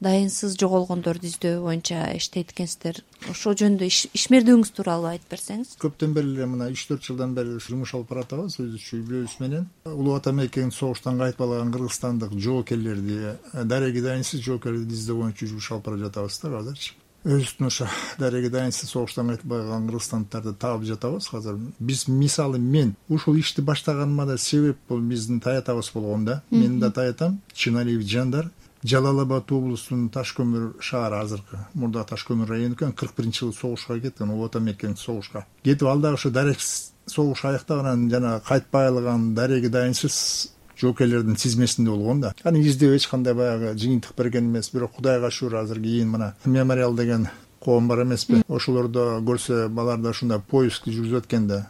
дайынсыз жоголгондорду издөө боюнча иштейт экенсиздер. Ошол жөнүндө ишмердигиңиз тууралуу айтып берсеңиз. Көптөн бери эле мына 3-4 жылдан бери жумуш алып баратабыз өзүбүзчө үй-бүлөбүз менен. Улуу ата мекенин согуштан кайтпалаган кыргызстандык жоокерлерди, дареги дайынсыз жоокерлерди издөө боюнча жумуш алып бара жатабыз да азырчы. Өзүбүздүн ошо дареги дайынсыз согуштан кайтпаган кыргызстандыктарды таап жатабыз азыр. Биз мисалы мен ушул ишти баштаганыма да себеп бул биздин таятабыз болгон да. Менин да таятам Чиналиев Жандар, Жалал Абад облусунун Ташкөмүр шаары, азыркы мурда Ташкөмүр району экен, 41-жылы согушка кеткен, улуу ата мекен согушка кетип, ал дагы ошо дарек согуш аяктаган жана кайтпай калган дареги дайынсыз жоокерлердин тизмесинде болгон да. Аны издөө эч кандай баягы жыйынтык берген эмес, бирок Кудайга шүгүр азыр кийин мына мемориал деген коом бар эмеспи, ошолордо көрсө баларда ушундай поиск жүргүзүп аткенде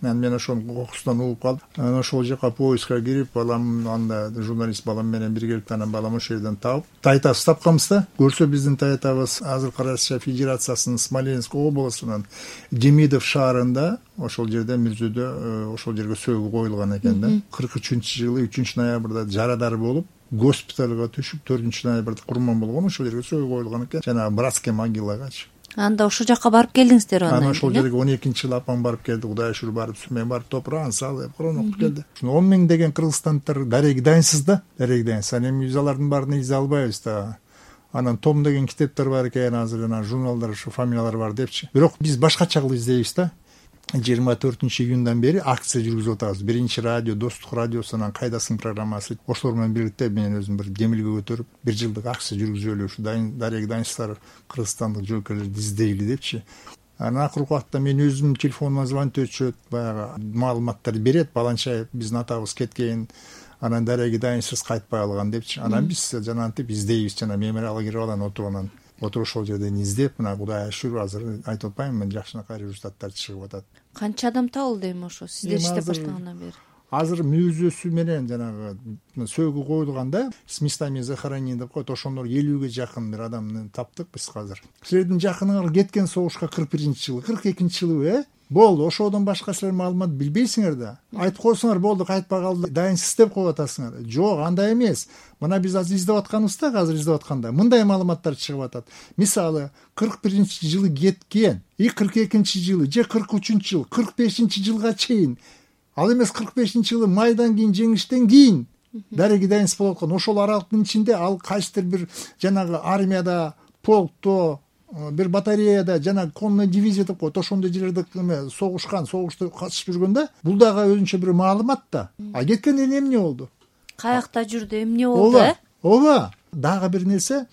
мен ошонун кокусунан угуп калдым. Анан ошол жака поискка кирип, балам анда журналист балам менен бирге келип, анан балам ошол жерден таап таятабыз тапканбыз да. Көрсө биздин таятабыз азыркы Россия Федерациясынын Смоленск облусунун Демидов шаарында, ошол жерде Мүрзөдө ошол жерге сөөгү коюлган экен да. 43-жылы 3-ноябрда жарадар болуп, госпиталга түшүп, 4-ноябрда курман болгон, ошол жерге сөөгү коюлган экен. Жана братский могилагачы. Анда ошол жака барып келдиңиздер анан? Ана ошол жерге 12-жылы апам барып келди, Кудайга шүгүр барып, мен барып топурагын салып, Куран окуп келди. 10 миң деген кыргызстандыктар дареги дайынсыз да, дареги дайынсыз. Анан эми биз алардын баарын изе албайбыз да. Анан том деген китептер бар экен, азыр анан журналдар, ушу фамилиялар бар депчи. Бирок биз башкача кылып издейбиз да. 24-июндан бери акция жүргүзүп атабыз. Биринчи радио, Достук радиосунан Кайдасың программасы. Ошолор менен бирикте мен өзүм бир демилге көтөрүп, 1 жылдык акция жүргүзөлү, ушу дареги дайынсыздар кыргызстандык жоокерлерди издейли депчи. Анан акыркы убакта мен өзүм телефонума звонить өтүшөт, баягы маалыматтарды берет, баланча биздин атабыз кеткен, анан дареги дайынсыз кайтпай калган депчи. Анан биз жанагынтип издейбиз, жана мемориалга кирип алан отуруп ошол жерден издеп, мына Кудайга шүгүр азыр айтып атпаймынбы, мен жакшынакай результаттар чыгып атат. Канча адам табылды эми ошо сиздер иштеп баштагандан бери? Азыр мүзөсү менен жанагы сөөгү коюлганда с местами захоронения деп коет, ошондор 50-ге жакын бир адамды таптык биз азыр. Силердин жакыныңар кеткен согушка 41-жылы, 42-жылы, болду. Ошодон башка силер маалымат билбейсиңер да. Айтып койсоңор болду, кайтпай калды, дайынсыз деп коюп атасыңар. Жок, андай эмес. Мына биз азыр издеп атканыбызда, азыр издеп атканда мындай маалыматтар чыгып атат. Мисалы, 41-жылы кеткен, 42-жылы, же 43-жылы, 45-жылга чейин, ал эмес 45-жылы майдан кийин, жеңиштен кийин дареги дайынсыз болуп аткан. Ошол аралыктын ичинде ал кайсыдыр бир жанагы армияда, полкто, бир батареяда, жана конный дивизия деп коет, ошондой жерлерде согушкан, согушта катышып жүргөндө, бул дагы өзүнчө бир маалымат да. А кеткен эле эмне болду? Каякта жүрдү, эмне болду? Ооба. Дагы бир нерсе,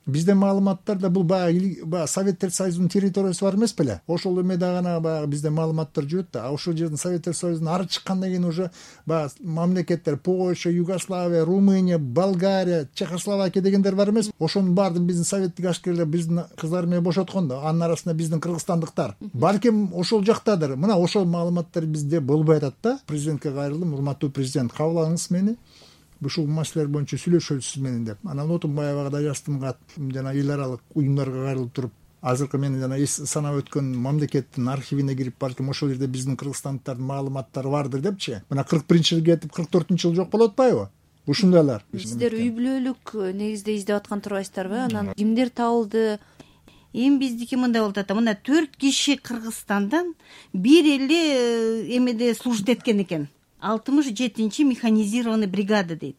бизде маалыматтарда бул баягы Советтер Союзунун территориясы бар эмес беле? Ошол эме дагы баягы бизде маалыматтар жүрөт да. А ошол жердин Советтер Союзунун ары чыккандан кийин уже баягы мамлекеттер Польша, Югославия, Румыния, Болгария, Чехословакия дегендер бар эмес? Ошонун баардыгын биздин советтик ашкерлер биздин кыздар менен бошоткон да. Анын арасында биздин кыргызстандыктар. Балким ошол жактадыр. Мына ошол маалыматтар бизде болбой атат да. Президентке кайрылдым, урматтуу президент, кабыл алыңыз мени. Ушул маселелер боюнча сүйлөшөлү сиз менен деп. Анан отум баягыда жаздым кат, жана эл аралык уюмдарга кайрылып туруп, азыркы менин жана санап өткөн мамлекеттин архивине кирип, балким ошол жерде биздин кыргызстандыктардын маалыматтары бардыр депчи. Мына 41-жылы кетип, 44-жылы жок болуп атпайбы? Ушундайлар. Сиздер үй бүлөлүк негизде издеп аткан турбайсыздарбы? Анан кимдер табылды? Эми биздики мындай болуп атат. Мына 4 киши Кыргызстандан бир эле эмеде служит эткен экен. 67-чи механизированный бригада дейт.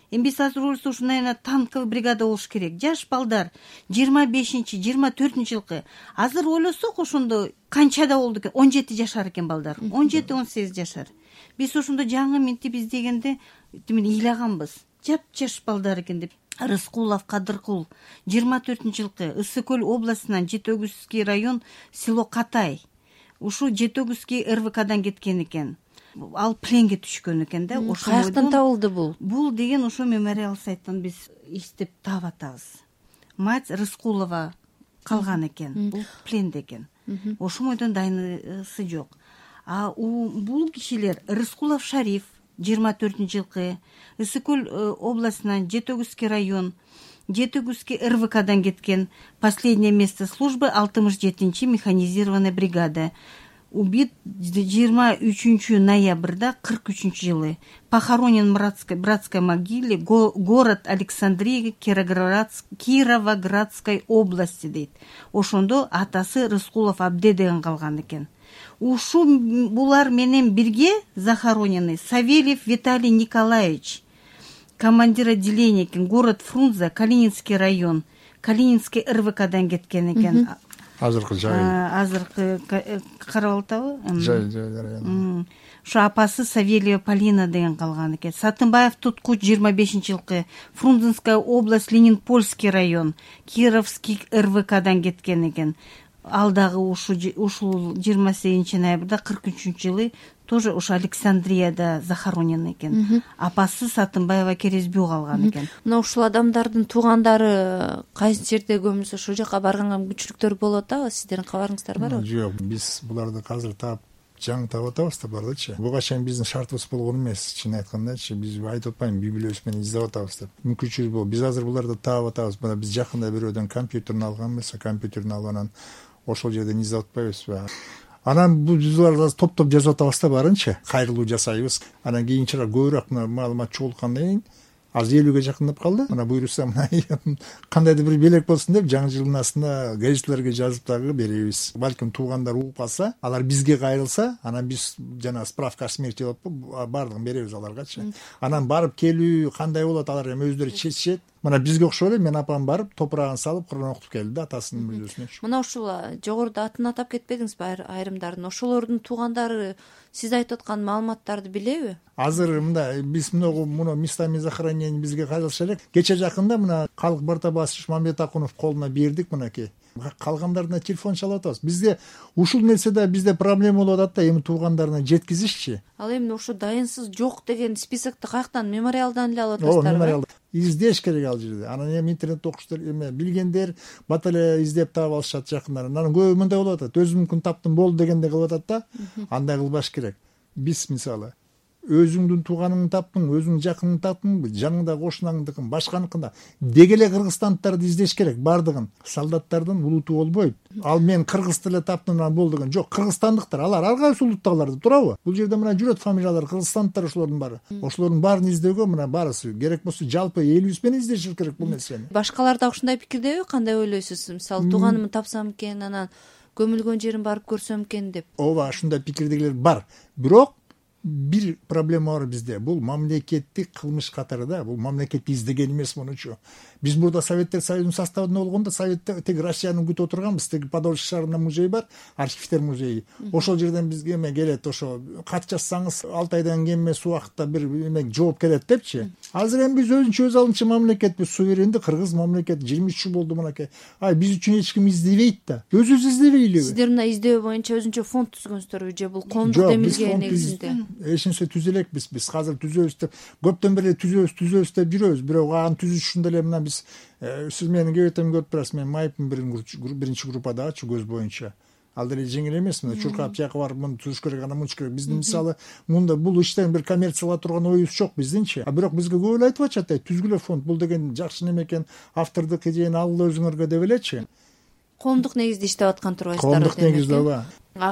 Эми биз азыр ойлосок, ушундай танковый бригада болуш керек. Жаш балдар 25-чи, 24-жылкы. Азыр ойлосок, ошондо канчада болду экен? 17 жашар экен балдар. 17-18 жашар. Биз ошондо жаңы минтип издегенде ыйлаганбыз. Жап-жаш балдар экен деп. Рыскулов Кадыркул 24-жылкы, Ысык-Көл областынан Жетөгүзский район село Катай. Ушу Жетөгүзский РВКдан кеткен экен. Ал пленге түшкөн экен да. Каяктан табылды бул? Бул деген ошо мемориал сайттан биз иштеп таап атабыз. Мать Рыскулова калган экен. Бул пленде экен. Ошол бойдон дайынысы жок. А бул кишилер Рыскулов Шариф 24-жылкы, Ысык-Көл областынан Жетөгүзский район, Жетөгүзский РВКдан кеткен. Последнее место службы 67-чи механизированная бригада. убит 23 ноябрда 43-жылы. Похоронен в братской могиле, город Александрия, Кировоградской области дейт. Ошондо атасы Рыскулов Абде деген калган экен. Ушу булар менен бирге захоронены Савельев Виталий Николаевич, командир отделения экен, город Фрунзе, Калининский район, Калининский РВКдан кеткен экен. Азыркы жай. Азыркы карап атабы? Жай. Ушу апасы Савельева Полина деген калган экен. Сатынбаев Туткуч 25-жылкы, Фрунзенская область, Ленинпольский район, Кировский РВКдан кеткен экен. Ал дагы ушул 28 ноябрда 43-жылы тоже ушу Александрияда захоронен экен. Апасы Сатынбаева Керезбүү калган экен. Мына ушул адамдардын туугандары кайсы жерде көмүлсө ошол жака барганга мүмкүнчүлүктөр болуп атабы? Сиздердин кабарыңыздар барбы? Жок, биз буларды азыр таап жаңы таап атабыз да булардычы. Буга чейин биздин шартыбыз болгон эмес. Чын айткандачы, биз айтып атпайм, библиябыз менен издеп атабыз деп. Мүмкүнчүлүк бул. Биз азыр буларды таап атабыз. Мына биз жакында бирөөдөн компьютерин алганбыз, компьютерин алып анан ошол жерден издеп атпайбызбы? Анан биз буларды топ жазып атабыз да барынча кайрылуу жасайбыз. Анан кийинчерээк көбүрөөк маалымат чогулткандан кийин азыр 50ге жакындап калды. Мына буйруса мына кандайдыр бир белек болсун деп жаңы жылдын астына газеттерге жазып дагы беребиз. Балким туугандар угуп калса, алар бизге кайрылса, анан биз жана справка о смерти деп баардыгын беребиз аларгачы. Анан барып келүү кандай болот, алар эми өздөрү чечишет. Мына бизге окшоп эле мен апам барып топурагын салып Кур'ан окутуп келди да атасынын мүрөсүнө. Мына ушул жогоруда атын атап кетпедиңизби айрымдарын? Ошолордун туугандары сиз айтып аткан маалыматтарды билеби? Азыр мында биз муну местами захоронения бизге кайрылыша элек. Кече жакында мына Калык Бартабасович Мамбетакунов колуна бердик мынакей. Калгандарына телефон чалып атабыз. Бизде ушул нерседе бизде проблема болуп атат да, эми туугандарына жеткизишчи. Ал эми ушу дайынсыз жок деген списокду каяктан, мемориалдан эле алып атасыздарбы? Мемориалдан издеш керек ал жерде. Анан эми интернет окуштар эме билгендер бат эле издеп таап алышат жакындар. Анан көбү мындай болуп атат. Өзүм мүмкүн таптым болду дегенде кылып атат да. Андай кылбаш керек. Биз мисалы өзүңдүн тууганыңды таптың, өзүңдүн жакыныңды таптың, жаңыңда кошунаңдыкын, башканыкында деги эле кыргызстандыктарды издеш керек баардыгын. Солдаттардын улуту болбойт. Ал мен кыргыз тиле таптым болду деген жок. Кыргызстандыктар, алар ар кайсы улуттагыларды туурабы? Бул жерде мына жүрөт фамилиялар, кыргызстандыктар ошолордун баары. Ошолордун баарын издөөгө мына баарысы керек болсо жалпы элибиз менен издешибиз керек бул нерсени. Башкалар да ушундай пикирдеби? Кандай ойлойсуз? Мисалы тууганымды тапсам экен, анан көмүлгөн жерин барып көрсөм экен деп. Ооба, ушундай пикирдегилер бар. Бирок бир проблема бар бизде. Бул мамлекеттик кылмыш катары, бул мамлекет издеген эмес мунучу. Биз мурда Советтер Союзунун составында болгондо Советте теги Россияны күтүп отурганбыз. Теги Подольск шаарында музей бар, архивдер музейи. Ошол жерден бизге эме келет, ошо кат жазсаңыз 6 айдан кем эмес убакытта бир эме жооп келет депчи. Азыр эми биз өзүнчө өз алынча мамлекетпиз, суверенди кыргыз мамлекет 23 жыл болду мынакей. Биз үчүн эч ким издебейт да. Өзүбүз издебейлиби? Сиздер мына издөө боюнча өзүнчө фонд түзгөнсүзбү же бул коомдук демилге негизинде? Эч нерсе түзө элекпиз. Биз азыр түзөбүз деп, көптөн бери түзөбүз деп жүрөбүз. Бирок аны түзүшүндө эле мына биз сиз мени кебетем көрүп турасыз, мен майыптын биринчи группадагычы көз боюнча. Ал деле жеңил эмес. Мына чуркап жака барып муну түзүш керек, аны мынча керек. Биздин мисалы мында бул иштен бир коммерциялап турган оюбуз жок биздинчи. Бирок бизге көп эле айтып атышат, түзгүлө фонд, бул деген жакшы неме экен, автордук идеяны алгыла өзүңөргө деп элечи. Коомдук негизде иштеп аткан турбайсыздар. Коомдук негизде ооба.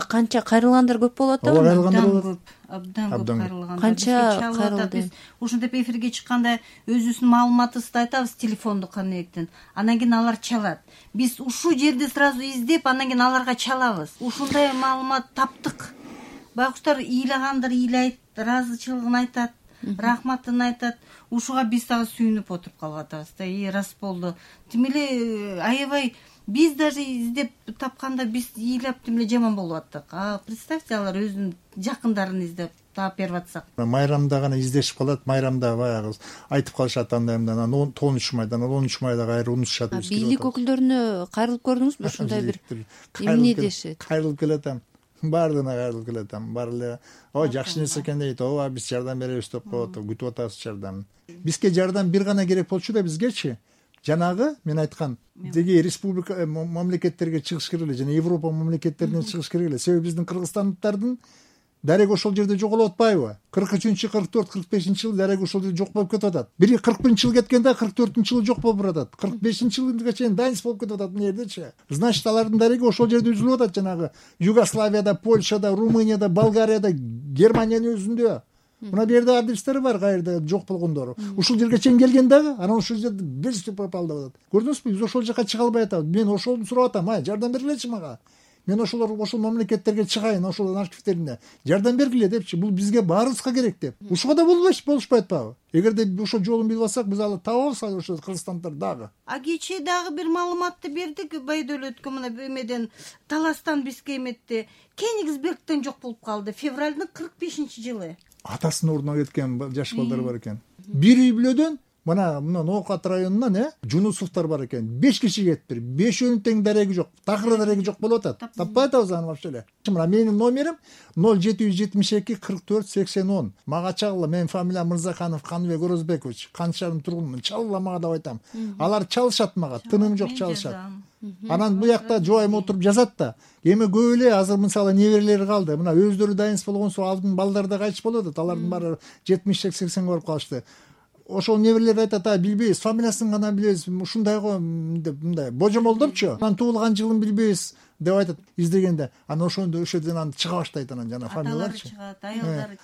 Канча кайрылгандар көп болуп атабы? Абдан көп кайрылгандар. Канча кайрылды? Ушинтип эфирге чыкканда өзүбүздүн маалыматыбызды айтабыз, телефонду канебектен. Анан кийин алар чалат. Биз ушул жерде сразу издеп, анан кийин аларга чалабыз. Ушундай маалымат таптык. Байкуштар ыйлагандар ыйлайт, ыраазычылыгын айтат, рахматын айтат. Ушуга биз дагы сүйүнүп отуруп калып атабыз да. Рас болду. Тим эле аябай биз даже издеп тапканда биз ыйлап тим эле жаман болуп аттык. Представьте, алар өзүнүн жакындарын издеп таап берип атсак. Майрамда гана издешип калат. Майрамда баягы айтып калышат андайымда, анан 13 майда, 13 майда кайра унутушат. Бийлик өкүлдөрүнө кайрылып көрдүңүзбү? Ушундай бир эмне дешет? Кайрылып келатам. Баардыгына кайрылып келатам. Баары эле жакшы нерсе экен дейт. Ооба, биз жардам беребиз деп коет, күтүп атабыз жардам. Бизге жардам бир гана керек болчу да бизгечи. Жанагы мен айткан деги республика мамлекеттерге чыгыш керек эле, жана Европа мамлекеттерине чыгыш керек эле. Себеби биздин кыргызстандыктардын дареге ошол жерде жоголуп атпайбы? 43, 44, 45 жылы дареге ошол жерде жок болуп кетип атат. Бiri 41 жылы кеткенде 44 жылы жок болуп баратат. 45 жылга чейин дайынс болуп кетип атат мына жердечи. Значит, алардын дареги ошол жерде үзүлүп атат, жанагы Югославияда, Польшада, Румынияда, Болгарияда, Германиянын өзүндө. Мына бу жерде адрестери бар, кайерде жок болгондору. Ушул жерге чейин келген дагы, анан ушул жерде бес попал деп атат. Көрдүңүзбү? Биз ошол жака чыга албай атабыз. Мен ошолду сурап атам, жардам бергилечи мага. Мен ошол мамлекеттерге чыгайын, ошол архивтерине жардам бергиле депчи. Бул бизге баарыбызга керек деп. Ушуга да болушпай атпайбы? Эгерде ошол жолун билип алсак, биз алы табабыз ошо кыргызстандар дагы. Кечээ дагы бир маалыматты бердик, Байдөлөткө мына эмеден Таластан бизге эметти. Кенигсбергден жок болуп калды. Февралдын 45-жылы. Атасынын ордуна кеткен жаш балдар бар экен. Бир үй бүлөдөн мына Ноокат районунан Жунусовдор бар экен. 5 киши кетиптир. 5-өнүн тең дареги жок. Такыр дареги жок болуп атат. Таппай атабыз аны вообще эле. Мына менин номерим 0772 44 80 10. Мага чалгыла. Менин фамилиям Мырзаханов Каныбек Орозбекович. Канчарым тургунмун. Чалгыла мага деп айтам. Алар чалышат мага. Тыным жок чалышат. Анан бу жакта жубайым отуруп жазат да. Эми көп эле азыр мисалы неберелери калды. Мына өздөрү дайынс болгонсо алдын балдар да кайтыш болуп атат. Алардын баары 70-80 барып калышты. Ошол неберелер айтат, билбейбиз, фамилиясын гана билебиз, ушундай го деп мындай божомолдопчу. Анан туулган жылын билбейбиз деп айтат издегенде. Анан ошондо ошол жерден чыга баштайт анан жана фамилияларчы. Аталары чыгат, аялдары.